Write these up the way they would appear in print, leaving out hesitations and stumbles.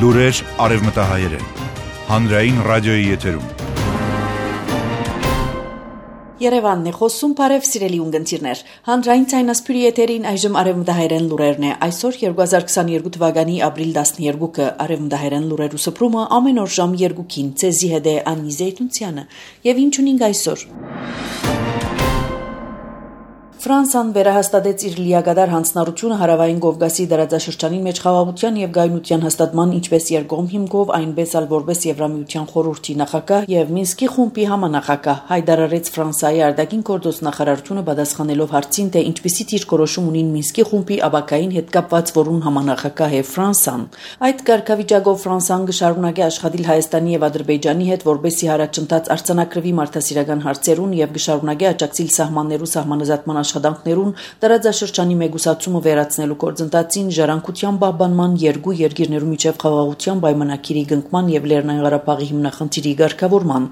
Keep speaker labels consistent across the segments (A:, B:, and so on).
A: Լուրեր արևմտահայերեն։ Հանրային ռադիոյի եթերում։
B: Երևանն է խոսում, բարև սիրելի ունգընտիրներ։ Հանրային ցայնասպյուրի եթերին այժմ արևմտահայերեն լուրերն է։ Այսօր 2022 թվականի ապրիլ 12-ը արևմտահայերեն լուրերու սփռումը ամեն օր ժամ 2-ին ցեզի հետ է Անի Զեյթունցյանը։ Եվ ինչ ունենք այսօր։ Ֆրանսիան վերահաստատեց իր լիակատար հանձնառությունը հարավային Կովկասի դարաձաշրջանի մեջ խաղաղության եւ գայունության հաստատման ինչպես երկկողմ հիմքով, այնպես էլ որպես Եվրամիության խորհրդի նախագահ եւ Մինսկի խումբի համանախագահ հայտարարեց Ֆրանսիայի արտաքին գործոստ նախարարությունը պատասխանելով հարցին, թե ինչպիսի դիրքորոշում ունին Մինսկի խումբի աբակային հետ կապված, որուն համանախագահ է Ֆրանսիան։ Այդ կարգավիճակով Ֆրանսիան կշարունակի աշխատել Հայաստանի եւ Ադրբեջանի հետ, որպեսզի հարաճընթաց արձանագրվի մարդասիրական հարցերուն եւ կշարունակի աջակցել սահմաններու սահմանազատման աշխատանքներուն դարաձաշրջանի մեգուսացումը վերացնելու գործընթացին, ժառանգության պահպանման, երկու երկիրներու միջև խաղաղության պայմանագիրի կնքման եւ Լեռնային Ղարաբաղի հիմնախնդիրի ղեկավարման։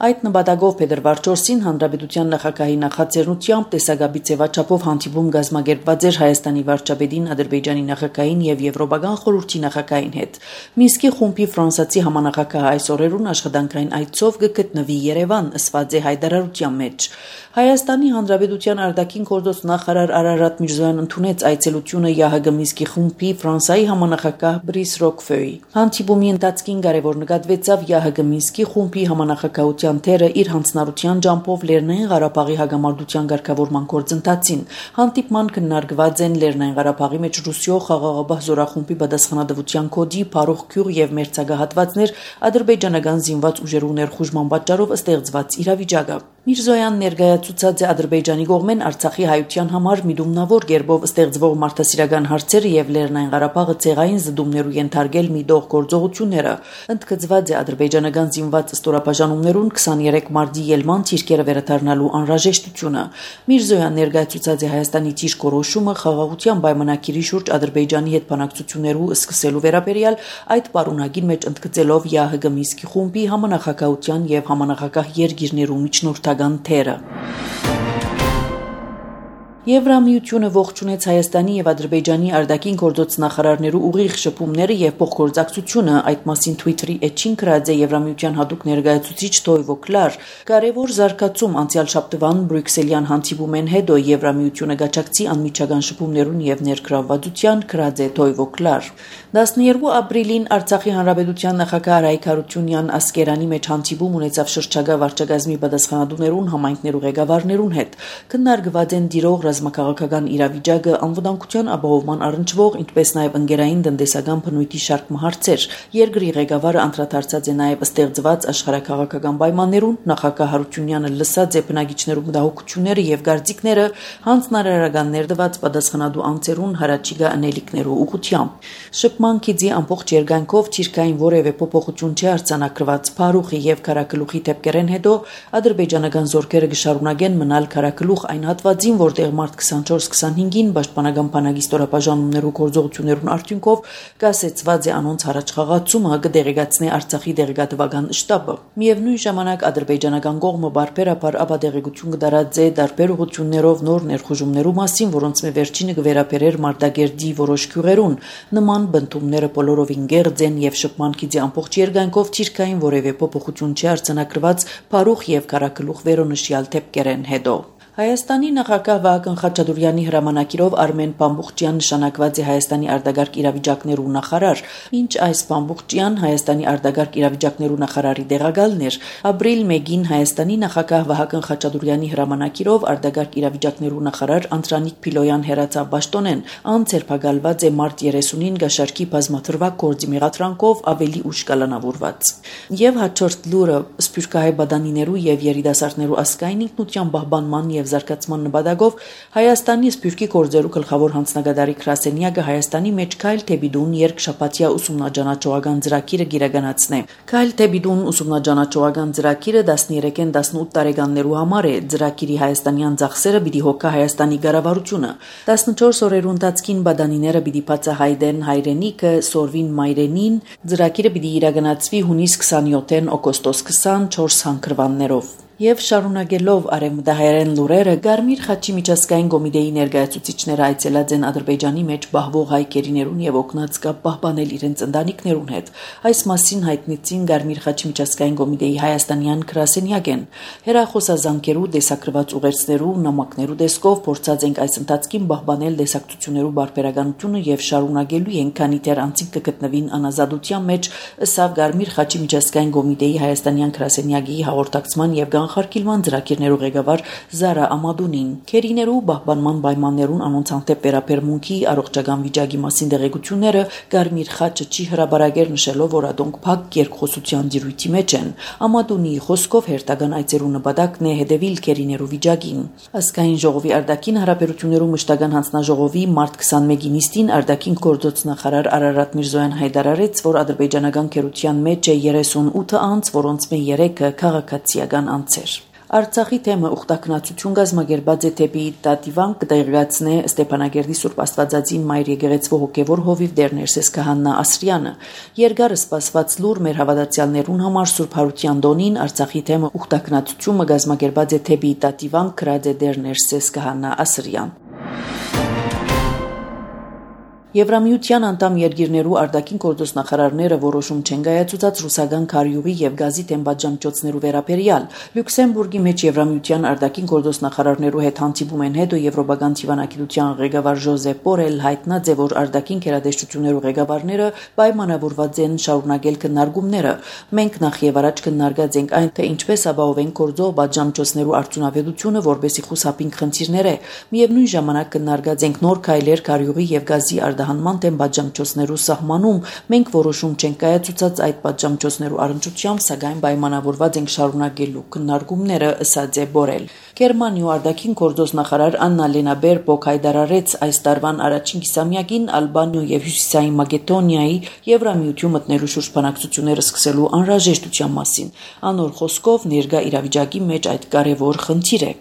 B: Այդ նպատակով փետրվար 4-ին Հանրապետության նախագահի նախաձեռնությամբ տեսակապի ձևաչափով հանդիպում կազմակերպված էր Հայաստանի վարչապետին, Ադրբեջանի նախագահին եւ Եվրոպական խորհրդի նախագահին հետ։ Մինսկի խումբի ֆրանսիացի համանախագահ այս օրերուն աշխատանքային այցով կգտնվի Երևան, ըսված է հայտարարության մեջ։ Հայաստանի Հանրապետության արտաքին գործոստ նախարար Արարատ Միրզոյան ընդունեց այցելությունը ՀՀԳ Մինսկի խումբի Ֆրանսիայի համանախագահ Բրիս Ռոկֆեի։ Հանդիպումի ընթացքին կարևոր նկատվեցավ ՀՀԳ Մինսկի խումբի համանախագահության թերը իր հանձնառության ջանքով Լեռնային Ղարաբաղի հագամարտության ղեկավարման գործընթացին։ Հանդիպման քննարկված են Լեռնային Ղարաբաղի մեջ Ռուսիո խաղաղապահ զորախումբի պատասխանատվության կոդի Փարող Գյուղ եւ մերձագահատվածներ ադրբեջանական զինված ուժերու ներխուժման պատճառով ստեղծված իրավիճակը։ Միրզոյան ներկայացուցած է Ադրբեջանի կողմեն Արցախի հայության համար միտումնավոր կերպով ստեղծվող մարդասիրական հարցերը եւ Լեռնային Ղարաբաղը ցեղային զդումներու ենթարկել միտող գործողությունները։ Ընդգծված է ադրբեջանական զինված ստորաբաժանումներուն 23 մարտի ելման թիրքերը վերադառնալու անհրաժեշտությունը։ Միրզոյան ներկայացուցած է Հայաստանի դիրքորոշումը խաղաղության պայմանագիրի շուրջ Ադրբեջանի հետ բանակցություններու սկսելու վերաբերյալ այդ պարունակին մեջ ընդգծելով ՀՀԳ Մինսկի խումբի համանախագահության եւ համանախագահ երկիրներու միջնորդական թերը։ Եվրամիությունը ողջունեց Հայաստանի եւ Ադրբեջանի արտաքին գործոստ նախարարներու ուղիղ շփումները եւ փոխգործակցությունը, այդ մասին Twitter-ի էջին գրած է Եվրամիության հատուկ ներկայացուցիչ Տոյվո Կլար։ Կարևոր զարգացում անցյալ շաբթվան Բրյուսելյան հանդիպումեն հետո Եվրամիությունը գաչակցի անմիջական շփումներուն եւ ներգրավվածության, գրած է Տոյվո Կլար։ 12 ապրիլին Արցախի հանրապետության նախագահ Արայք Հարությունյան Ասկերանի մեջ հանդիպում ունեցավ շրջակա վարչակազմի պատասխանատուներուն, համայնքներու ղեկավարներուն հետ։ Քննարկված են դիրող ռազմաքաղաքական իրավիճակը, անվտանգության ապահովման առնչվող, ինչպես նաև ընկերային տնտեսական բնույթի շարք հարցեր։ Երկրի ղեկավարը անդրադարձած է նաև ստեղծված աշխարհաքաղաքական պայմաններուն, նախագահ Հարությունյանը լսած է բնակիչներու մտահոգությունները եւ կարծիքները, հանձնարարական ներդված պատասխանատու անձերուն հարաճիգա անելիքներու ուղղությամբ։ Շփման գիծի ամբողջ երկայնքով թիրքային որևէ փոփոխություն չի արձանագրված։ Փարուխի եւ Քարակլուխի դեպքերեն հետո ադրբեջանական զորքերը կշարունակեն մնալ Քարակլուխ այն հատվածին, որտեղ մարտ 24-25-ին պաշտպանական բանակի ստորաբաժանումներու գործողություններուն արդյունքով կասեցված է անոնց առաջխաղացումը կդեղեկացնի Արցախի դեղեկատվական շտաբը։ Միևնույն ժամանակ ադրբեջանական կողմը բարբերաբար ապադեղեցություն կդարած է տարբեր ուղղություններով նոր ներխուժումներու մասին, որոնց վերջինը կվերապերեր Մարտակերտի որոշ գյուղերուն։ Նման բնդումները բոլորովին գերձ են եւ շփման գիծի ամբողջ երկայնքով թիրքային որևէ փոփոխություն չի արձանագրված Փարուխ եւ Քարակլուխ վերոնշյալ դեպքերեն հետո։ Հայաստանի նախագահ Վահագն Խաչատուրյանի հրամանակիրով Արմեն Պամբուխջյան նշանակված է Հայաստանի արտագաղթ իրավիճակներու նախարար, ինչ այս Պամբուխջյան Հայաստանի արտագաղթ իրավիճակներու նախարարի տեղակալն էր։ Ապրիլ 1-ին Հայաստանի նախագահ Վահագն Խաչատուրյանի հրամանակիրով արտագաղթ իրավիճակներու նախարար Անդրանիկ Փիլոյան հերացավ պաշտոնեն, անցերփակալված է մարտ 30-ին գաշարքի բազմաթրվակ գործի մեղադրանքով ավելի ուշ կալանավորված։ Եվ հաջորդ լուրը սփյուռքահայ բադանիներու եւ երիտասարդներու ասկային ինքնության պահպանման եւ զարգացման նպատակով Հայաստանի սփյուռքի գործերու գլխավոր հանձնագետարի Քրասենյակը Հայաստանի մեջ Քայլ Թեբիդուն երկշաբաթյա ուսումնաճանաչողական ծրագիրը գիրականացնե։ Քայլ Թեբիդուն ուսումնաճանաչողական ծրագիրը 13-ին 18 տարեկաններու համար է։ Ծրագիրի հայաստանյան ծախսերը պիտի հոգա Հայաստանի կառավարությունը։ 14 օրերու ընթացքին բադանիները պիտի բացահայտեն հայրենիքը, սորվին մայրենին։ Ծրագիրը պիտի իրականացվի հունիս 27-ին օգոստոս 24 հանքրվաններով։ Եվ շարունակելով արևմտահայերեն լուրերը, Գարմիր խաչի միջազգային կոմիտեի ներկայացուցիչները այցելած են Ադրբեջանի մեջ պահվող հայ կերիներուն եւ օգնած կապ պահպանել իրենց ընտանիքներուն հետ։ Այս մասին հայտնեցին Գարմիր խաչի միջազգային կոմիտեի հայաստանյան գրասենյակեն։ Հերախոսազանգերու դեսակրված ուղերձներու նամակներու դեսկով փորձած ենք այս ընթացքին պահպանել դեսակցություններու բարբերականությունը եւ շարունակելու ենք, քանի դեռ անցիկ կգտնվին անազատության մեջ, ըստ Գարմիր խաչի միջազգային կոմիտեի հայաստանյան գրասենյակի հաղորդակցման եւ Կանխարգելման ծրագիրներու ղեկավար Զարա Ամադունին։ Քերիներու պահպանման պայմաններուն անոնց հանդեպ վերաբերմունքի առողջական վիճակի մասին դեղեցությունները Գարմիր խաչը չի հրաբարակեր, նշելով, որ ադոնք փակ երկխոսության դիրույթի մեջ են։ Ամադունիի խոսքով հերթական այցերու նպատակն է հետևել քերիներու վիճակին։ Ազգային ժողովի արտաքին հարաբերություններու մշտական հանձնաժողովի մարտ 21-ի նիստին արտաքին գործոց նախարար Արարատ Միրզոյան հայտարարեց, որ ադրբեջանական քերության մեջ է 38 անձ, որոնց մե 3-ը քաղաքացիական անձ։ Արցախի թեմը ուխտակնացություն գազմագերբած է թեպի Տատիվան կտեղգացնե Ստեփանագերդի Սուրբ Աստվածածին Մայր եկեղեցու հոգևոր հովիվ Դերներսես Քահանա Ասրյանը։ Երկարը սպասված լուր մեր հավատացյալներուն համար Սուրբ Հարության տոնին Արցախի թեմը ուխտակնացությունը գազմագերբած է թեպի Տատիվան կրած է Դերներսես Քահանա Ասրյան։ Եվրամիության անդամ երկիրներու արտաքին գործոց նախարարները որոշում չեն կայացուցած ռուսական քարյուղի եւ գազի տեմպատժամճոցներու վերաբերյալ։ Լյուքսեմբուրգի մեջ Եվրամիության արտաքին գործոց նախարարներու հետ հանդիպում են հետո եվրոպական դիվանագիտության ղեկավար Ժոզեփ Բորել հայտնած է, որ արտաքին քերադեշտություններու ղեկավարները պայմանավորված են շարունակել քննարկումները։ Մենք նախ եւ առաջ քննարկած ենք այն, թե ինչպես ապահովենք գործող պատժամճոցներու արդյունավետությունը, որբեսի խուսափենք խնդիրները։ Միևնույն ժամանակ քննարկած ենք նոր քայլեր քարյուղի եւ գազի հանման դեմ պատժամճոցներու սահմանում։ Մենք որոշում չենք կայացուցած այդ պատժամճոցներու առնչությամբ, սակայն պայմանավորված ենք շարունակելու քննարկումները, ըստ է Բորել։ Գերմանիու արտաքին գործոց նախարար Աննա Լենա Բերբոկ հայտարարեց այս տարվան առաջին կիսամյակին Ալբանիա եւ Հյուսիսային Մակեդոնիայի Եվրամիություն մտնելու շուրջ բանակցությունները սկսելու անհրաժեշտության մասին։ Անոր խոսքով ներկա իրավիճակի մեջ այդ կարևոր խնդիր է։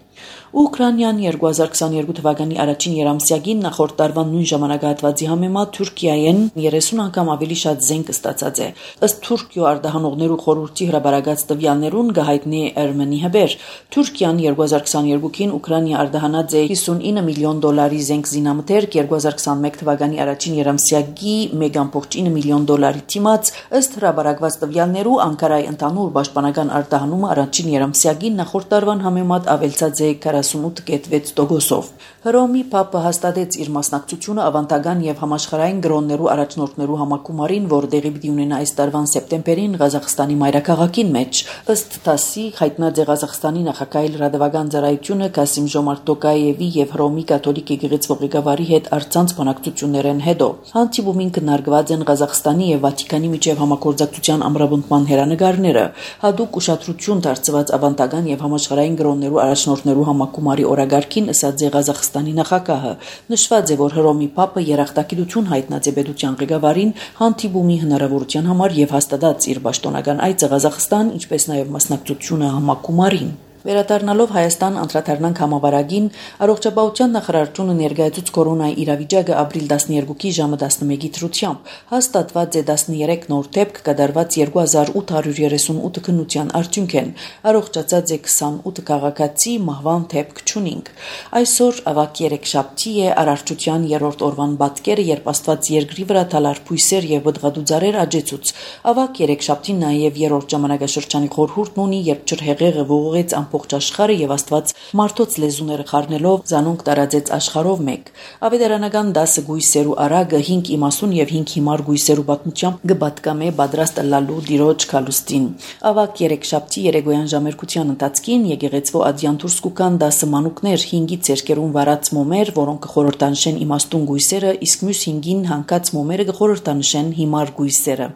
B: Ուկրաինան 2022 թվականի առաջին երամսյակին նախորդ տարվան նույն ժամանակահատվածի համեմատ Թուրքիայեն 30 անգամ ավելի շատ զենք ստացած է։ Ըստ Թուրքիո արտահանողներու խորհրդի հրաբարակած տվյալներուն գահիտնի Էրմենի հբեր Թուրքիան 2022-ին Ուկրաինա արտահանած է $59 միլիոն զենք զինամթերք, 2021 թվականի առաջին երամսյակի $1.9 միլիոն դիմաց, ըստ հրաբարակված տվյալներու Անկարայի ընդհանուր պաշտպանական արտահանումը առաջին երամսյակին նախորդ տարվան համեմատ ավելցած է 48.6%-ով։ Հռոմի Փապը հաստատեց իր մասնակցությունը ավանդական եւ համաշխարհային գրոններու առաջնորդներու համակումարին, որ դեղի պիտի ունենա այս տարվան սեպտեմբերին Ղազախստանի մայրաքաղաքին մեջ։ Ըստ ՏԱՍ-ի հայտնած է Ղազախստանի նախագահի լրատվական ծառայությունը Կասիմ Ժոմարտ Տոկաևի եւ Հռոմի կաթոլիկ եկեղեցու ղեկավարի հետ առցանց բանակցություններեն հետո։ Հանդիպումին քննարկված են Ղազախստանի եւ Վատիկանի միջև համագործակցության ամրապնդման հերանեկարները, հadoop ուշադրություն դարձված ավանդական եւ համաշխարհային գրոններու առաջնորդներու համակումարի օրագարկին, ըստ Ղազախստանի նախագահը։ Նշված է, որ Հռոմի Փապը երախտագիտություն հայտնած է պետության ղեկավարին հանդիպումի հնարավորության համար եւ հաստատած իր պաշտոնական այցը Ղազախստան, ինչպես նաեւ մասնակցությունը համակումարին։ Վերադառնալով Հայաստան անդրադառնանք համավարակին, առողջապահության նախարարությունը ներկայացուց կորոնայի իրավիճակը ապրիլ 12-ի ժամը 11-ի դրությամբ հաստատված է 13 նոր դեպք կատարված 2838 քննության արդյունք են, առողջացած է 28 քաղաքացի, մահվան դեպք չունենք։ Այսօր ավակ երեքշաբթի է, արարչության 3-րդ օրվան պատկերը, երբ Աստված երկրի վրա թալար փույսեր եւ բդղադու ծառեր աճեցուց։ Ավակ երեքշաբթին նաեւ 3-րդ ժամանակաշրջանի խորհուրդն ունի, երբ ջրհեղեղը ողողեց ողջ աշխարհը եւ Աստված մարդոց լեզուները խառնելով զանոնք տարածեց աշխարհով մեկ։ Ավետարանական 10 գույսերու արագը 5 իմասուն եւ 5 հիմար գույսերու պատմությամբ գբատկամե պատրաստ լալու դիրոջ կալուստին։ Ավակ երեքշաբթի երեկոյան ժամերկության ընթացքին եկեղեցու ադյան դուրս կուկան 10 մանուկներ 5-ից երկերուն վարած մոմեր, որոնք կխորհրդանշեն իմաստուն գույսերը, իսկ մյուս 5-ին հանկած մոմերը կխորհրդանշեն հիմար գույսերը։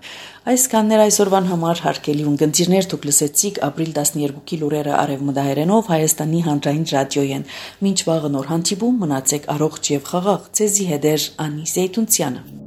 B: Այսքաններ այսօրվան համար հարգելի ունկնդիրներ, դուք լսեցիք ապրիլ 12-ի լուրերը արևմտահայերենով Հայաստանի հանրային ռադիոյեն։ Մինչ վաղը նոր հանդիպում, մնացեք առողջ եւ խաղաղ։ Ձեզի հետ է Անի Զեյթունցյանը։